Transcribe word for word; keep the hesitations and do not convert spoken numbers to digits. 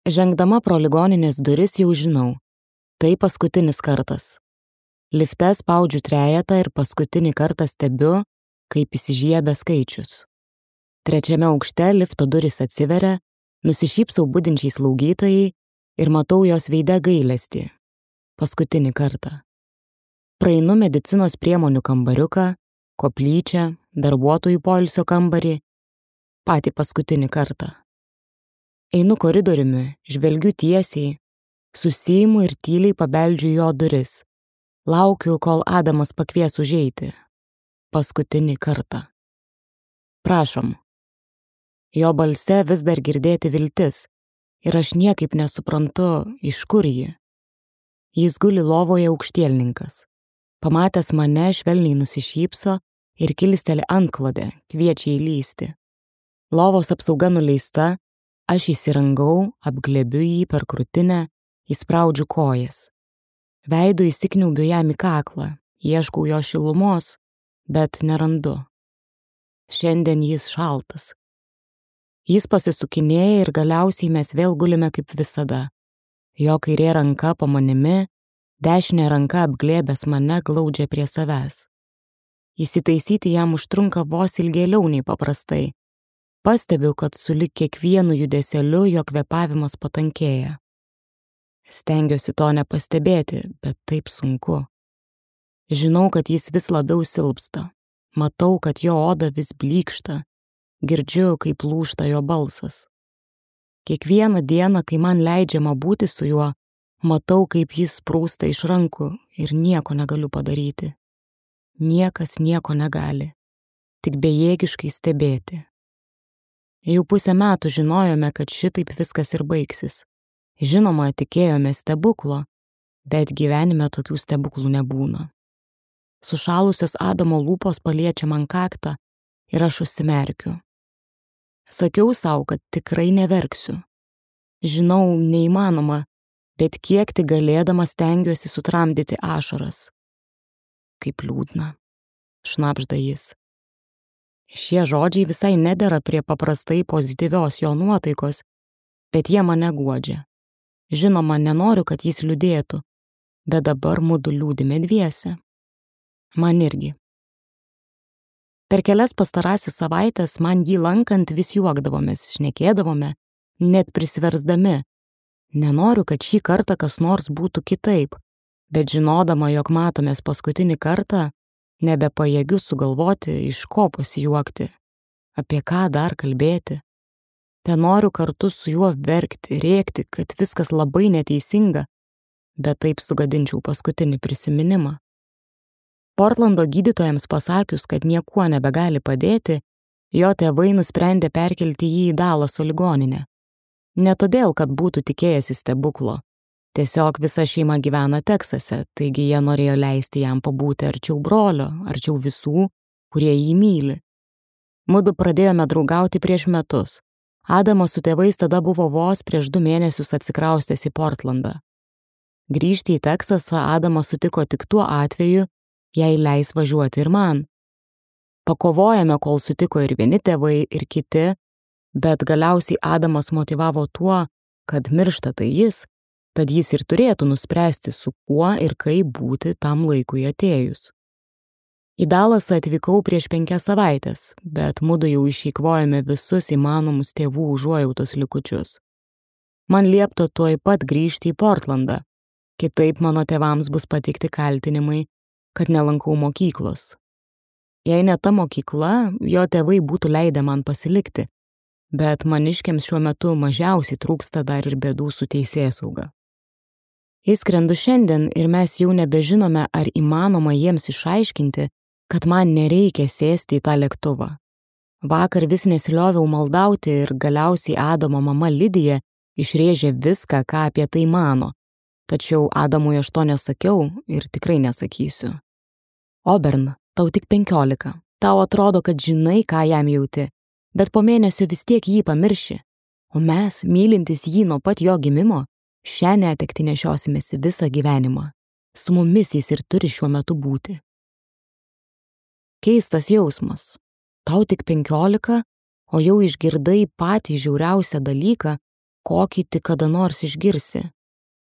Žengdama pro ligoninės duris jau žinau. Tai paskutinis kartas. Lifte spaudžiu trejetą ir paskutinį kartą stebiu, kaip įsižiebia skaičius. Trečiame aukšte lifto durys atsiveria, nusišypsau budinčiai slaugytojai ir matau jos veide gailestį. Paskutinį kartą. Praeinu medicinos priemonių kambariuką, koplyčią, darbuotojų poilsio kambarį. Patį paskutinį kartą. Einu koridoriumi, žvelgiu tiesiai, susiimu ir tyliai pabeldžiu jo duris. Laukiu, kol Adamas pakvies užeiti. Paskutinį kartą. Prašom. Jo balse vis dar girdėti viltis ir aš niekaip nesuprantu, iš kur ji. Jis guli lovoje aukštielninkas. Pamatęs mane, švelniai nusišypso ir kilsteli antklodę, kviečia įlysti. Lovos apsauga nuleista, aš įsirangau, apglėbiu jį per krūtinę, įspraudžiu kojas. Veidu įsikniaubiu jam į kaklą, ieškau jo šilumos, bet nerandu. Šiandien jis šaltas. Jis pasisukinėja ir galiausiai mes vėl gulime kaip visada. Jo kairė ranka po manimi, dešinė ranka apglėbęs mane glaudžia prie savęs. Įsitaisyti jam užtrunka vos ilgėliau nei paprastai. Pastebiu, kad sulig kiekvienu judesėliu jo kvėpavimas patankėja. Stengiuosi to nepastebėti, bet taip sunku. Žinau, kad jis vis labiau silpsta. Matau, kad jo oda vis blykšta. Girdžiu, kaip lūžta jo balsas. Kiekvieną dieną, kai man leidžiama būti su juo, matau, kaip jis sprūsta iš rankų ir nieko negaliu padaryti. Niekas nieko negali. Tik bejėgiškai stebėti. Jau pusę metų žinojome, kad šitaip viskas ir baigsis. Žinoma, tikėjome stebuklo, bet gyvenime tokių stebuklų nebūna. Sušalusios Adamo lūpos paliečia man kaktą ir aš užsimerkiu. Sakiau sau, kad tikrai neverksiu. Žinau, neįmanoma, bet kiek tik galėdama stengiuosi sutramdyti ašaras. Kaip liūdna, šnabžda jis. Šie žodžiai visai nedera prie paprastai pozityvios jo nuotaikos, bet jie mane guodžia. Žinoma, nenoriu, kad jis liūdėtų, bet dabar mudu liūdime dviese. Man irgi. Per kelias pastarasis savaitės man jį lankant vis juokdavomės, šnekėdavome, net prisiversdami. Nenoriu, kad šį kartą kas nors būtų kitaip, bet žinodama, jog matomės paskutinį kartą, nebepajėgiu sugalvoti, iš ko pasijuokti, apie ką dar kalbėti. Ten noriu kartu su juo verkti, rėkti, kad viskas labai neteisinga, bet taip sugadinčiau paskutinį prisiminimą. Portlando gydytojams pasakius, kad niekuo nebegali padėti, jo tėvai nusprendė perkelti jį į Dalaso ligoninę. Ne todėl, kad būtų tikėjęsi stebuklo. Tiesiog visa šeima gyvena Teksase, taigi jie norėjo leisti jam pabūti arčiau brolio, arčiau visų, kurie jį myli. Mudu pradėjome draugauti prieš metus. Adamas su tėvais tada buvo vos prieš du mėnesius atsikraustęs į Portlandą. Grįžti į Teksasą Adamas sutiko tik tuo atveju, jei leis važiuoti ir man. Pakovojame, kol sutiko ir vieni tėvai, ir kiti, bet galiausiai Adamas motyvavo tuo, kad miršta tai jis, tad jis ir turėtų nuspręsti, su kuo ir kaip būti tam laikui atėjus. Į Dalasą atvykau prieš penkias savaitės, bet mudu jau išeikvojame visus įmanomus tėvų užuojautos likučius. Man liepta tuoj pat grįžti į Portlandą, kitaip mano tėvams bus pateikti kaltinimai, kad nelankau mokyklos. Jei ne ta mokykla, jo tėvai būtų leidę man pasilikti, bet maniškiams šiuo metu mažiausiai trūksta dar ir bėdų su teisėsauga. Įskrendu šiandien ir mes jau nebežinome, ar įmanoma jiems išaiškinti, kad man nereikia sėsti į tą lėktuvą. Vakar vis nesilioviau maldauti ir galiausiai Adamo mama Lidija išrėžė viską, ką apie tai mano, tačiau Adamui aš to nesakiau ir tikrai nesakysiu. Obern, tau tik penkiolika, tau atrodo, kad žinai, ką jam jauti, bet po mėnesio vis tiek jį pamirši, o mes, mylintis jį nuo pat jo gimimo, šią netektį nešiosimės visą gyvenimą. Su mumis jis ir turi šiuo metu būti. Keistas jausmas. Tau tik penkiolika, o jau išgirdai patį žiauriausią dalyką, kokį tik kada nors išgirsi.